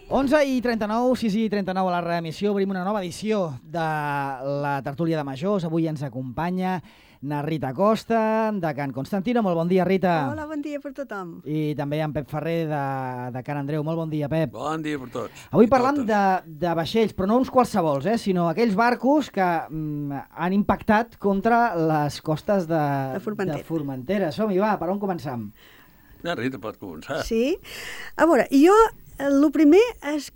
11:39, 6:39 a la reemissió. Obrim una nova edició de la tertúlia de majors. Avui ens acompanya na Rita Costa, de Can Constantino. Molt bon dia, Rita. Hola, bon dia per tothom. I també en Pep Ferrer, de Can Andreu. Molt bon dia, Pep. Bon dia per tots. Avui parlam de vaixells, però no uns qualsevols, sinó aquells barcos que han impactat contra les costes de Formentera. Som-hi, va, per on començam? Na Rita pot començar. Sí. A veure, jo el primer és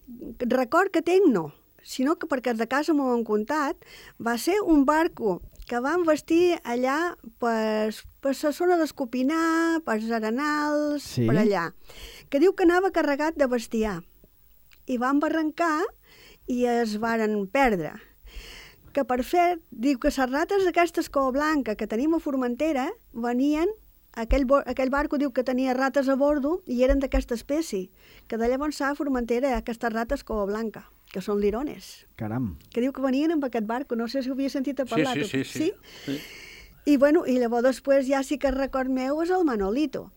record que tenc no, sinó que perquè de casa m'ho han contat, va ser un barco que van vestir allà per la zona d'Escopinar, per Arenals, sí, per allà, que diu que anava carregat de bestiar. I van barrancar i es varen perdre. Que per fer, diu que les rates d'aquestes cova blanca que tenim a Formentera venien, aquell barco diu que tenia rates a bordo i eren d'aquesta espècie, que de llavors a Formentera hi ha aquestes rates cova blanca, que són lirones. Caram. Que diu que venien amb aquest barco, no sé si ho havia sentit a parlar. Sí. I bueno, i llavors després ja sí que el record meu és el Manolito.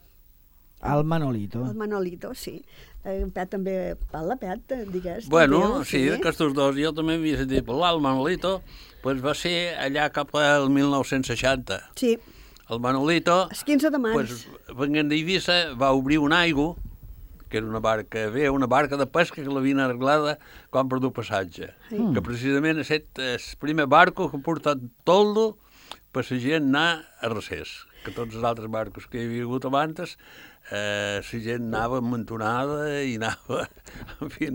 El Manolito. El Manolito, sí. En Pet també parla, Pet, digues. Bueno, també, sí, d'aquestos dos jo també havia sentit parlar. El Manolito pues, va ser allà cap al 1960. Sí. El Manolito, el 15 de març. Pues, venint d'Eivissa, va obrir un aigua, que era una barca de pesca que l'havien arreglada quan perdut passatge. Sí. Que precisament ha estat el primer barco que ha portat toldo per la gent anar a recés. Que tots els altres barcos que hi havia hagut abans, la gent anava amuntonada i anava, en fi,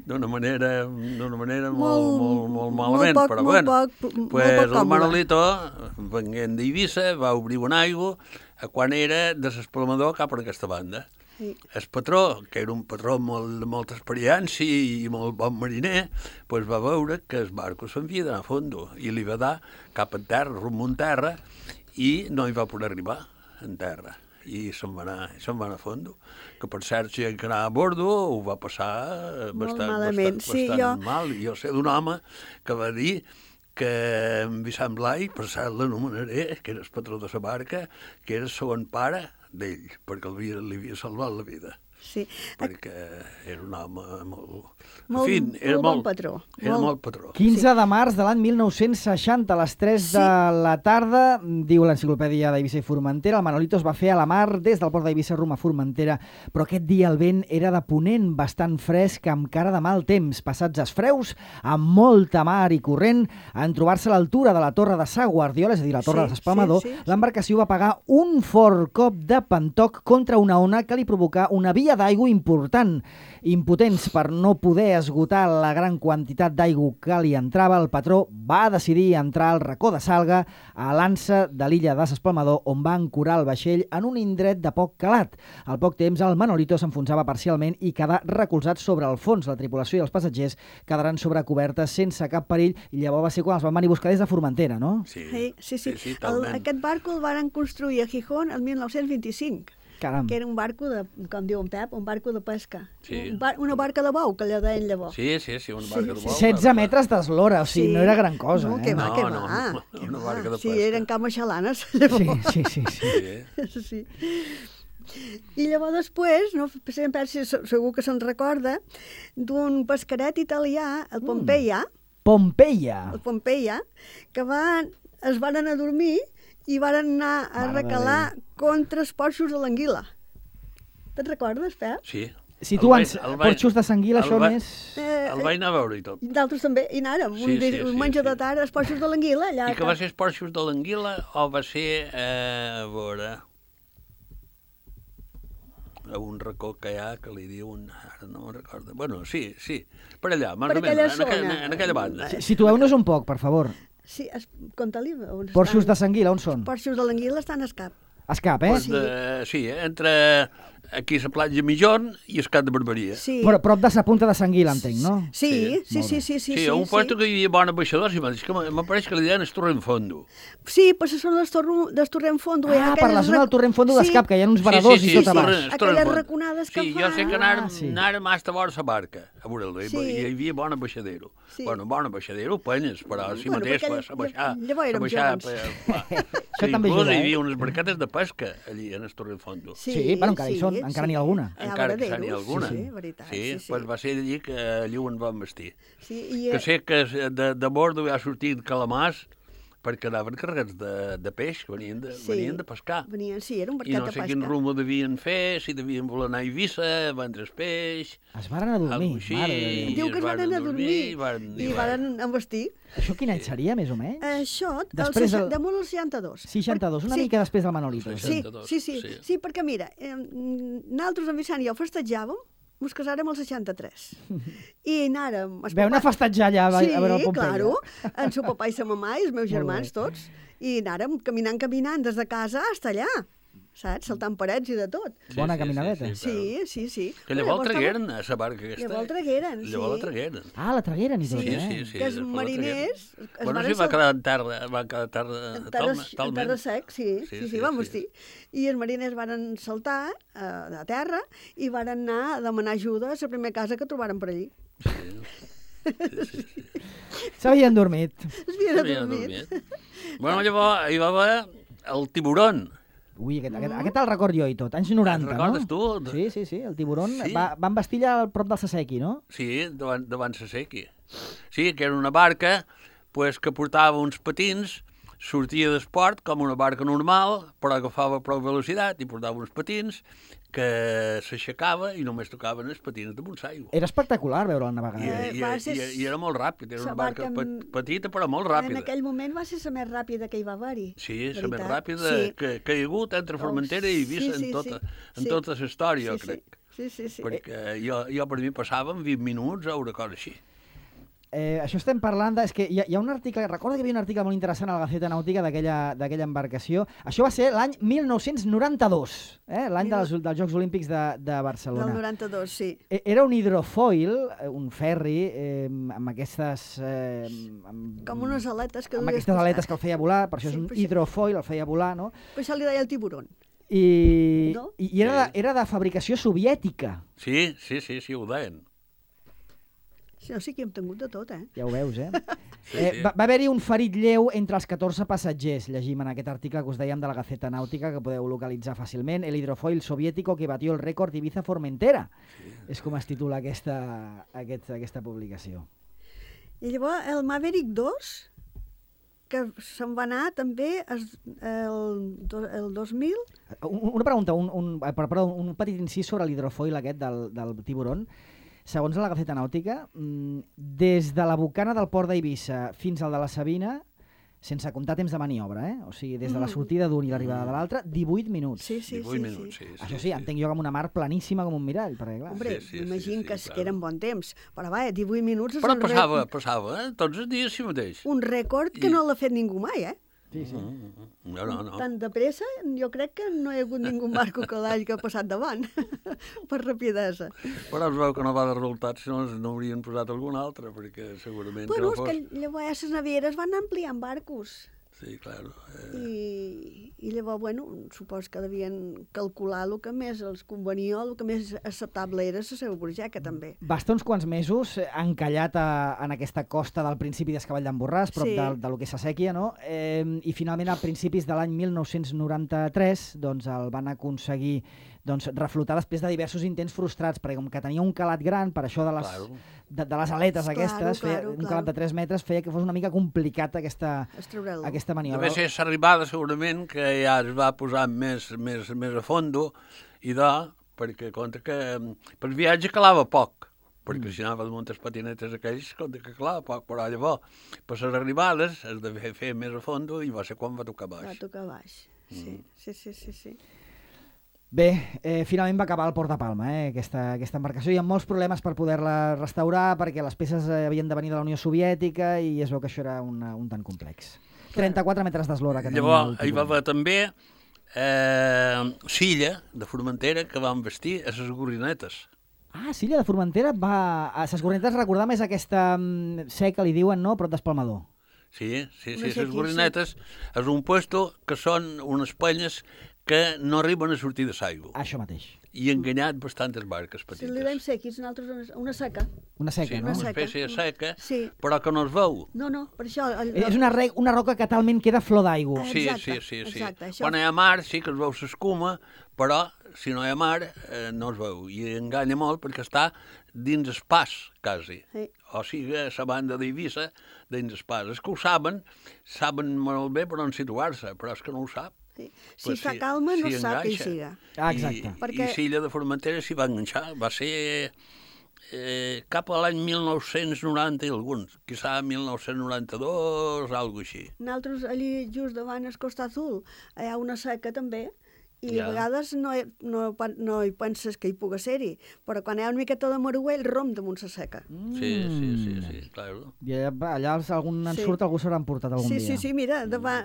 d'una manera molt malament. Molt però poc, bueno, pues molt el Manolito, venint d'Eivissa, va obrir un aigua quan era de l'espalmador cap a aquesta banda. Sí. El patró, que era un patró de molta experiència i molt bon mariner, pues va veure que el barco s'havia d'anar a fondo i li va dar cap a terra, rumb a terra, i no hi va poder arribar en terra. I se'n va anar a fondo. Que per cert, si que anava a bordo ho va passar bastant mal. Jo sé d'un home que va dir que en Vicent Blai, per cert l'anomenaré, que era el patró de la barca, que era el segon pare d'ell, perquè li havia salvat la vida. Sí. Perquè era un home molt bon patró. Era molt patró. 15 de març de l'any 1960, a les 3 de la tarda, diu l'enciclopèdia d'Eivissa i Formentera, el Manolito es va fer a la mar des del port d'Eivissa rumb a Formentera, però aquest dia el vent era de ponent, bastant fresc, amb cara de mal temps, passats els freus, amb molta mar i corrent, en trobar-se a l'altura de la torre de Sa Guardiola, és a dir, la torre de l'Espalmador, l'embarcació va pagar un fort cop de pantoc contra una ona que li provocà una via d'aigua important. Impotents per no poder esgotar la gran quantitat d'aigua que li entrava, el patró va decidir entrar al racó de Salga, a l'ansa de l'illa de l'Espalmador, on va ancorar el vaixell en un indret de poc calat. Al poc temps, el Manolito s'enfonsava parcialment i quedà recolzat sobre el fons. La tripulació i els passatgers quedaran sobre coberta sense cap perill, i llavors va ser quan els van venir a buscar des de Formentera, no? Sí. Aquest barco el van construir a Gijón el 1925. Caram. Que era un barco com diu en Pep, un barco de pesca. Sí. Una barca de bou, que allò deien llavors. Sí, una barca de bou. 16 metres d'eslora, o sigui, no era gran cosa. No, que va. Una barca de pesca. Sí, eren camaixalanes. Sí. I llavors després, no, segur que se'n recorda, d'un pescaret italià, el Pompeia. Pompeia, que es van anar a dormir i van anar a recalar contra els porxos de l'anguila. Te'n recordes, Pep? Sí. Situant porxos de s'anguila, això més... El vaig anar a veure i tot. D'altres també, i anàrem, un menjar de tarda, els porxos de l'anguila. I que va ser els porxos de l'anguila o va ser, a veure, a un racó que hi ha que li diuen, ara no me'n recordo, bueno, sí, per allà, en aquella banda. Situeu-nos un poc, per favor. Sí, conta-li. Porxos de s'anguila, on són? Porxos de l'anguila estan a Escap. Escap, Sí, entre aquí a la platja Migjorn i Escat de Barberia. Sí. Però prop de la punta de s'anguila, entenc, no? Sí. Sí, un puesto que hi havia bona baixadors, i que m'apareix que li deien el Torrent Fondo. Sí, però són del Torrent Fondo. Per la zona del Torrent Fondo d'Escap, que hi ha uns varadors i tot a baix. Aquelles raconades que fa. Sí, jo sé que anàrem hasta vora la barca, a veure-lo, i hi havia bona baixadero. Bueno, bona baixadero, penyes, però si mateix a baixar... Això també inclús ajuda, hi havia unes barquetes de pesca allí, en el Torrefondo. Sí, bueno, encara hi són, encara n'hi ha alguna. Encara que n'hi ha alguna. Sí, veritat. Sí, pues va ser allí que allí ho en van vestir. Sí, Que sé que de bordo ha sortit calamars, perquè anaven carregats de peix, que venien de pescar. Sí, era un barquet I no de sé pesca. quin rumbo devien fer, si devien voler anar a Eivissa, vendre peix... Es varen a dormir, així, mare de Déu. Diu que es van anar a dormir i varen envestir. Això quin any seria, més o menys? Això, Després del- damunt el 62. 62, una Sí. mica després del Manolito. Sí, 62, sí, sí, sí. sí, perquè mira, nosaltres en Vicent i jo festejàvem, ens casàrem al 63. I anàrem... Veu anar a festejar allà a veure el Pompeia. claro, en seu papà i sa mamà i els meus Molt germans bé. tots. I anàrem caminant des de casa fins allà, saps? Saltant parets i de tot. Bona caminadeta. Sí. Que llavors tragueren a la barca aquesta. Llavors tragueren, sí. Llavors la tragueren. Ah, la tragueren i tot, Sí, eh? sí, sí. Que els després la mariners... tragueren. Bueno, sí, va quedar en terra, En terra sec, sí, van vestir. I els mariners van saltar a terra i van anar a demanar ajuda a la primera casa que trobaren per allí. S'havien dormit. Es havien adormit. Bueno, llavors hi va haver el tiburón. Ui, aquest el record jo i tot. Anys 90, El recordes no? tu? Sí, el tiburón. Sí. Van vestir allà al prop del Sasequi, no? Sí, davant Sasequi. Sí, que era una barca pues, que portava uns patins, sortia d'esport com una barca normal, però agafava prou velocitat i portava uns patins que s'aixecava i només tocaven els patins damunt l'aigua. Era espectacular veure'l navegar. I era molt ràpid, era la una barca barca petita però molt ràpida. En aquell moment va ser la més ràpida que hi va haver-hi. Sí, la més veritat. ràpida Sí. que hi ha hagut entre Formentera i Eivissa en tota la història, jo crec. Sí. Perquè jo per mi passava en 20 minuts o una cosa així. Això estem parlant és que hi ha un article, recorda que hi havia un article molt interessant a la Gaceta Nàutica d'aquella embarcació. Això va ser l'any 1992, l'any dels Jocs Olímpics de Barcelona. Del 92, sí. Era un hidrofoil, un ferri, amb aquestes... Com unes aletes que amb duies aquestes aletes que el feia volar, per això Sí, és un per això- hidrofoil, el feia volar, no? Per això li deia el tiburón. I No? era de fabricació soviètica. Sí, ho deien. Sí que hem tingut de tot, Ja ho veus, Sí. Va haver-hi un ferit lleu entre els 14 passatgers, llegim en aquest article que us dèiem de la Gaceta Nàutica, que podeu localitzar fàcilment, el hidrofoil soviético que batió el rècord Ibiza-Formentera. És com es titula aquesta publicació. I llavors el Maverick 2, que se'n va anar també el 2000. Una pregunta, un petit incís sobre l'hidrofoil aquest del tiburón. Segons la Gaceta Nàutica, des de la bocana del port d'Eivissa fins al de la Sabina, sense comptar temps de maniobra, o sigui, des de la sortida d'un i l'arribada de l'altre, 18 minuts. Sí. 18 minuts, sí. Això sí, entenc jo com una mar planíssima com un mirall, perquè clar... Hombre, Sí, m'imagino que clar. eren bon temps. Però va, 18 minuts és Però un passava, tots els dies així mateix. un rècord que no l'ha fet ningú mai, Sí. No. Tan de pressa, jo crec que no hi ha hagut ningú barco que l'hagi passat davant, per rapidesa. Però es veu que no va de resultats, si no n'haurien posat algun altre, perquè segurament Bueno, que no és fos... que llavors les navieres van ampliant barcos. Sí, clar. I llavors, bueno, supos que devien calcular el que més els convenia, el que més acceptable era la seva burgeca, també. Va estar uns quants mesos encallat en aquesta costa del principi d'Escavall d'en Borràs, prop Sí. de lo que és Sèquia, no? I finalment, a principis de l'any 1993, doncs el van aconseguir reflotar després de diversos intents frustrats, perquè com que tenia un calat gran, per això de les aletes aquestes, un calat de 3 metres, feia que fos una mica complicat aquesta maniobra. Deve ser l'arribada, segurament, que ja es va posar més a fondo, i perquè compta que per viatge calava poc, perquè si anava de moltes patinetes aquells, compta que calava poc, però llavors, per les arribades, es devia fer més a fondo, i va ser quan va tocar baix. Va tocar baix, sí. Bé, finalment va acabar al Port de Palma, aquesta embarcació. Hi ha molts problemes per poder-la restaurar, perquè les peces havien de venir de la Unió Soviètica i es veu que això era un tant complex. 34 metres d'eslora que tenia. Llavors, hi va haver també Silla, de Formentera, que van vestir a les gorrinetes. Ah, Silla de Formentera va... A les gorrinetes recordar més aquesta seca, li diuen, no? Prop d'Espalmador. Sí, les gorrinetes és un puesto que són unes penyes que no arriben a sortir de l'aigua. Això mateix. I enganyat bastantes barques Si petites. li vam sequis, nosaltres una seca. Una seca, sí, no? una espècie de seca, Sí. però que no es veu. No, per això... És una roca que talment queda flor d'aigua. Sí, Exacte, sí. exacte, això. Quan hi ha mar sí que es veu l'escuma, però si no hi ha mar no es veu. I enganya molt perquè està dins el pas, quasi. Sí. O sigui, a la banda d'Eivissa, dins el pas. Els que ho saben molt bé per on situar-se, però és que no ho sap. Sí. Si fa calma, no s'hi sap què hi enganxa. siga. Exacte. I l'illa de Formentera s'hi va enganxar. Va ser cap a l'any 1990 i alguns, quizà 1992, alguna així. Nosaltres allí just davant el Costa Azul hi ha una seca també, i Ja. a vegades no hi penses que hi pugui ser-hi, però quan hi ha una miqueta de maruell romp damunt la seca. Sí, claro. I allà algun ensurt Sí. algú s'hauran portat algun dia. Sí, mira, davant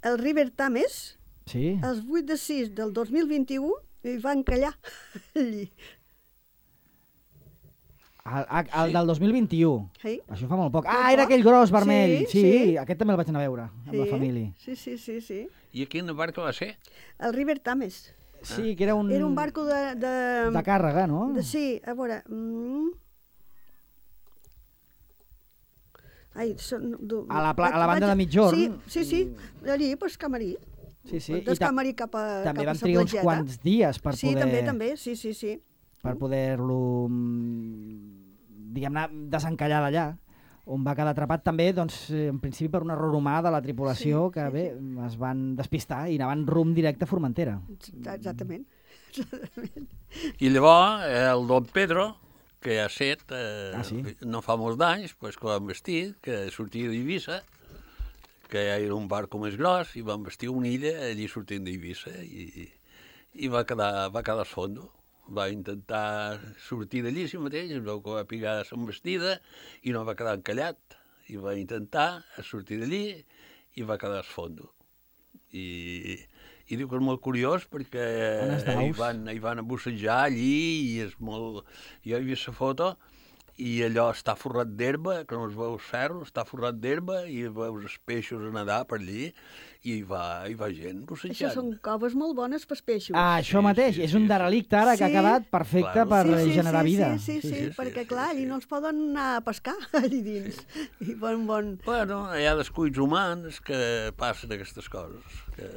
el River Tames, Sí? els 8/6 del 2021, hi va encallar allí. El del 2021. Sí. Això fa molt poc. Molt Era poc. aquell gros vermell. Sí, Sí, sí. aquest també el vaig anar a veure, amb la família. Sí. I a quina barca va ser? El River Tames. Sí, que era un... Era un barco de càrrega, no? Sí, a veure... Ai, A la banda de mitjorn. Sí, allí, pues, Camarí. Sí. Des Camarí cap a també cap a van sa trigar uns platgeta. quants dies per Sí, poder... també, sí. Per poder-lo, diguem-ne, desencallar d'allà, on va quedar atrapat també, doncs, en principi per un error humà de la tripulació, que bé, es van despistar i anaven rumb directe a Formentera. Exactament. I llavors el Don Pedro, que ha set, sí? no fa molts d'anys, pues, que van vestir, que sortia d'Eivissa, que era un barco més gros, i van vestir una illa allí sortint d'Eivissa, i va quedar al fondo. Va intentar sortir d'allí si mateix, es veu que va picar l'envestida i no va quedar encallat. I va intentar sortir d'allí i va quedar al fondo. I diu que és molt curiós perquè hi van a bussejar allí i és molt... Jo he vist la foto i allò està forrat d'herba, que no es veu el ferro, està forrat d'herba i veus els peixos a nedar per allí i hi va gent bussejant. Això són coves molt bones pels peixos. Això mateix, és un derelicte ara que ha quedat perfecte per generar vida. Sí, perquè clar, allí no els poden anar a pescar allí dins. I bon... Bueno, hi ha descuits humans que passen aquestes coses, que...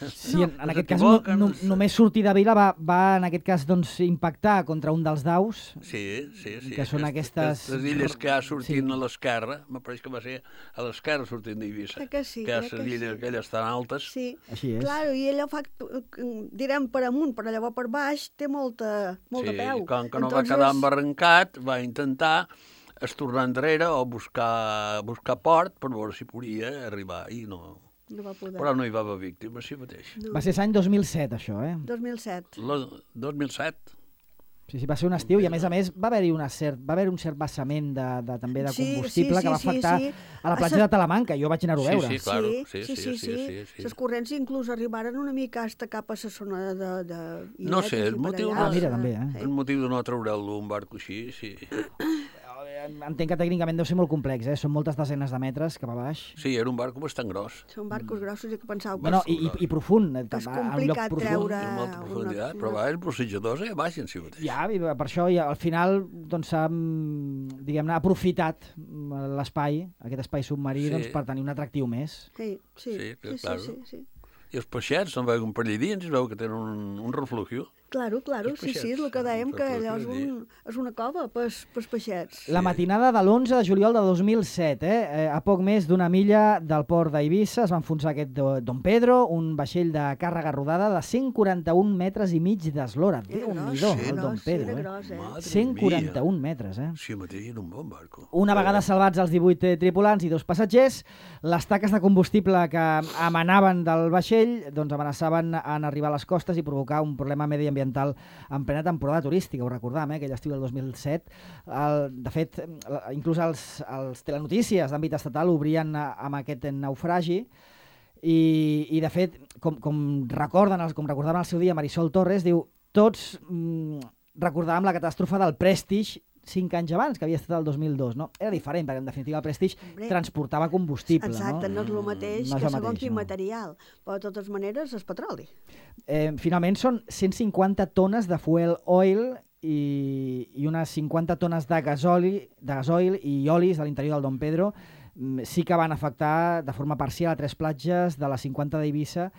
Sí, en aquest cas només sortir de vila va en aquest cas doncs, impactar contra un dels daus. Sí. Que són aquestes illes que ha sortint a l'esquerra, m'apareix que va ser a l'esquerra sortint d'Eivissa. Que sí. Que les illes aquelles tan altes. Sí, així és. Clar, i allò fa, direm per amunt, però llavors per baix té molta peu. Sí, com que no va quedar embarrancat, va intentar tornar enrere o buscar port per veure si podia arribar i no va poder. Però no hi va haver víctimes, sí mateix. No. Va ser l'any 2007, això, 2007. 2007. Sí, va ser un estiu i, a més, va haver-hi un cert vessament també de combustible que va afectar a la platja de Talamanca. Jo vaig anar-ho a veure. Sí, claro. Sí. Les corrents inclús arribaren una mica hasta cap a la zona de no sé, el motiu el motiu de no treure'l un barco així, sí. Entenc que tècnicament deu ser molt complex, són moltes desenes de metres cap a baix. Sí, era un barco bastant gros. Són barcos grossos i que pensava... Bueno, i profund. És complicat treure... Amb molta profunditat, però els bussejadors baixen si mateix. Ja, per això al final s'ha, diguem-ne, aprofitat l'espai, aquest espai submarí, per tenir un atractiu més. Sí. I els peixets se'n veuen per allà dins, es veu que tenen un refluxio. Claro, sí, és el que dèiem, que allò és una cova pels peixets. La matinada de l'11 de juliol de 2007, a poc més d'una milla del port d'Eivissa, es va enfonsar aquest Don Pedro, un vaixell de càrrega rodada de 141 metres i mig d'eslora. Déu-n'hi-do, el Don Pedro. 141 metres, Sí, mateix era un bon barco. Una vegada salvats els 18 tripulants i 2 passatgers, les taques de combustible que emanaven del vaixell amenaçaven en arribar a les costes i provocar un problema mediambiental en plena temporada turística, ho recordam, aquell estiu del 2007. De fet, inclús els telenotícies d'àmbit estatal obrien amb aquest naufragi i de fet, com recordaven al seu dia Marisol Torres, diu, tots recordàvem la catàstrofe del Prestige 5 anys abans, que havia estat el 2002, no? Era diferent, perquè en definitiva el Prestige transportava combustible. Exacte, no és el mateix que segons quin material, però de totes maneres és petroli. Finalment són 150 tones de fuel oil i unes 50 tones de gasoil i olis a l'interior del Don Pedro sí que van afectar de forma parcial a 3 platges de les 50 d'Eivissa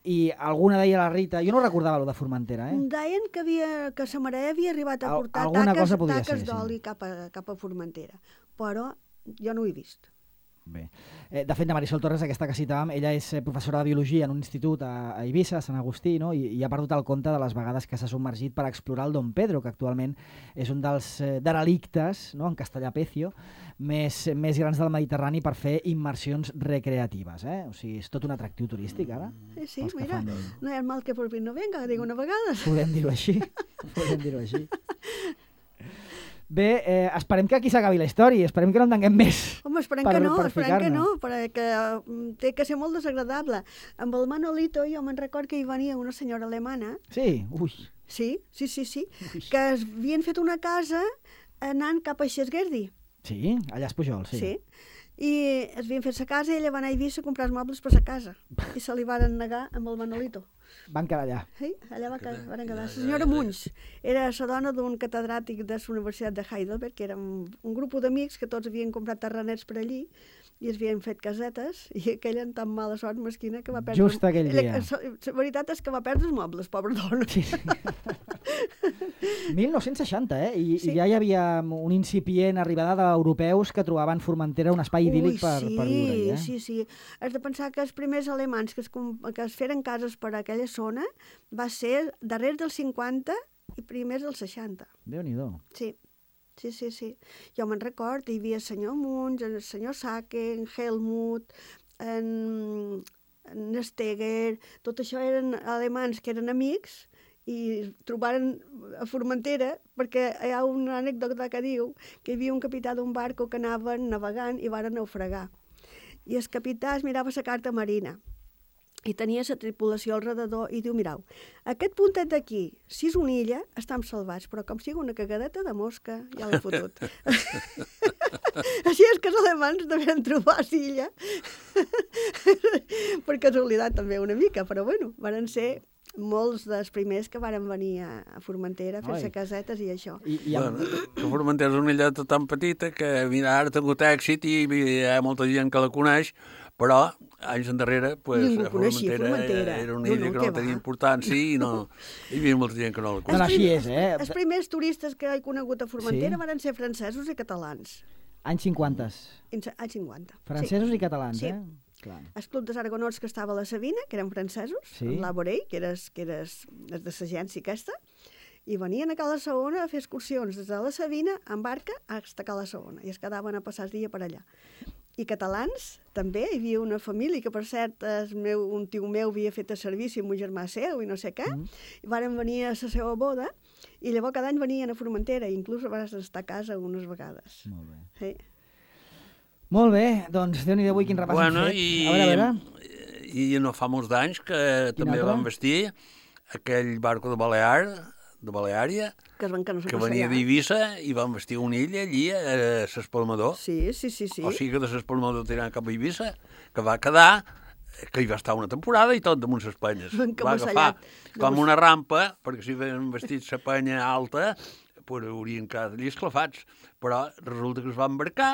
i alguna deia la Rita, jo no recordava allò de Formentera, Deien que sa mare havia arribat a portar taques d'oli cap a Formentera, però jo no ho he vist. Bé. De fet, la Marisol Torres, aquesta que citàvem, ella és professora de biologia en un institut a Eivissa, a Sant Agustí, no? I ha perdut el compte de les vegades que s'ha submergit per explorar el Don Pedro, que actualment és un dels derelictes, no? En castellà pecio, més grans del Mediterrani per fer immersions recreatives. O sigui, és tot un atractiu turístic, ara. Sí, mira, no hi ha mal que por fin no venga, dic una vegada. Podem dir-ho així. Bé, esperem que aquí s'acabi la història, esperem que no en tinguem més. Home, esperem que no, perquè té que ser molt desagradable. Amb el Manolito jo me'n record que hi venia una senyora alemana. Sí? Ui. Sí, que havien fet una casa anant cap a Xesguerdi. Sí, allà és Pujol, sí. Sí, i es havien fet sa casa i ella va anar a Eivissa a comprar els mobles per sa casa. I se li van negar amb el Manolito. Van quedar allà. Sí, allà van quedar. La senyora Munch era la dona d'un catedràtic de la Universitat de Heidelberg, que era un grup d'amics que tots havien comprat terrenets per allí i es havien fet casetes, i aquella amb tan mala sort mesquina que va perdre... Just aquell dia. La veritat és que va perdre els mobles, pobra dona. Sí. 1960, I ja hi havia un incipient arribada d'europeus que trobaven Formentera un espai idíl·lic per viure-hi. Sí. Has de pensar que els primers alemans que es feren cases per aquella zona va ser darrere dels 50 i primers dels 60. Déu-n'hi-do. Sí. Jo me'n record, hi havia el senyor Munch, el senyor Sake, en Helmut, en Steger, tot això eren alemans que eren amics i trobaren a Formentera perquè hi ha una anècdota que diu que hi havia un capità d'un barco que anaven navegant i varen naufragar. I el capità es mirava la carta marina i tenia la tripulació al redador i diu, mirau, aquest puntet d'aquí, si és una illa, estem salvats, però com sigui una cagadeta de mosca, ja l'he fotut. Així és que els alemans devien trobar l'illa. Per casualitat també una mica, però bueno, van ser molts dels primers que varen venir a Formentera a fer-se casetes i això. Que Formentera és una illeta tan petita que, mira, ara ha tingut èxit i hi ha molta gent que la coneix, però anys endarrere Formentera era una illa que no tenia importància i hi havia molta gent que no la coneixia. Així és, Els primers turistes que he conegut a Formentera van ser francesos i catalans. Anys 50. Anys 50. Francesos i catalans, sí. Clar. El Club dels Aragonors que estava a la Sabina, que eren francesos, amb l'Aborell, que era de l'agència aquesta, i venien a Cala Saona a fer excursions des de la Sabina amb barca a Cala Saona, i es quedaven a passar el dia per allà. I catalans, també, hi havia una família que, per cert, un tio meu havia fet a servici amb un germà seu i no sé què, i varen venir a la seva boda, i llavors cada any venien a Formentera, i inclús van estar a casa unes vegades. Molt bé. Sí. Molt bé, doncs Déu-n'hi-do avui quin repàs hem fet. A veure. I no fa molts d'anys que també van vestir aquell barco de Baleària, que venia d'Eivissa i van vestir una illa allí a l'Espalmador. Sí. O sigui que de l'Espalmador tirant cap a Eivissa, que va quedar, que hi va estar una temporada i tot damunt les penyes. Va agafar com una rampa, perquè si havien vestit la penya alta, haurien quedat allí esclafats. Però resulta que es va embarcar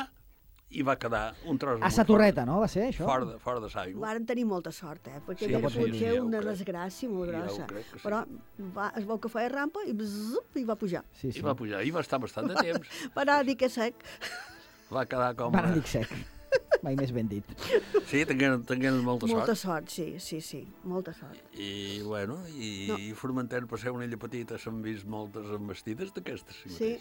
i va quedar un tros... A sa torreta, no? Va ser això? Fora de l'aigua. Varen tenir molta sort, perquè era potser una desgràcia molt grossa. Però es veu que feia rampa i va pujar. I va pujar, i va estar bastant de temps. Va anar a dir que sec. Va quedar com... Va anar a dir sec. Mai més ben dit. Sí, tenien molta sort. Molta sort, sí, molta sort. I, bueno, Formentera, per ser una illa petita, s'han vist moltes envestides d'aquestes. Sí.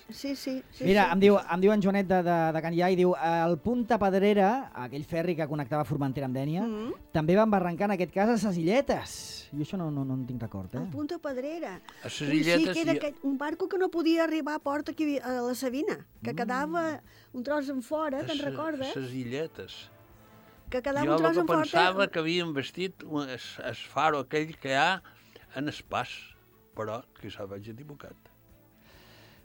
Mira, em diu en Joanet de Can Ià i diu el Punta Pedrera, aquell ferri que connectava Formentera amb Dénia, també van barrancar en aquest cas a ses illetes. Jo això no en tinc record, El Punta Pedrera. A ses illetes... Sí, que era un barco que no podia arribar a port aquí a la Sabina, que quedava un tros en fora, te'n recordes? A ses illetes. Que quedava un tros en fora... Jo pensava que havien vestit el faro aquell que hi ha en el pas, però quizà vaig equivocat.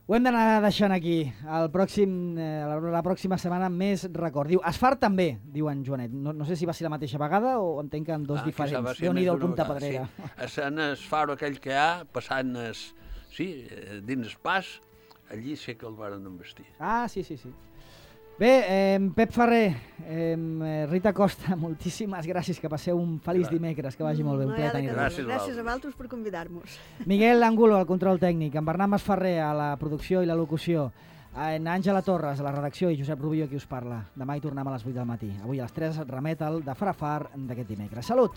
Ho hem d'anar deixant aquí. La pròxima setmana més record. Diu, Asfar també, diu en Joanet. No sé si va ser la mateixa vegada o entenc que en dos diferents. Déu-n'hi-do el Punta Pedrera. Sí. En el faro aquell que hi ha, passant Sí, dins Pas, allí sé que el varen embestir. Ah, sí. Bé, Pep Ferrer, Rita Costa, moltíssimes gràcies, que passeu un feliç dimecres, que vagi molt bé, un plaer tenir-vos. Gràcies a vosaltres per convidar-nos. Miguel Angulo, al control tècnic, en Bernat Masferrer, a la producció i la locució, en Àngela Torres, a la redacció, i Josep Rubio, qui us parla. Demà hi tornem a les 8 del matí. Avui a les 3 remet el de Farafar d'aquest dimecres. Salut!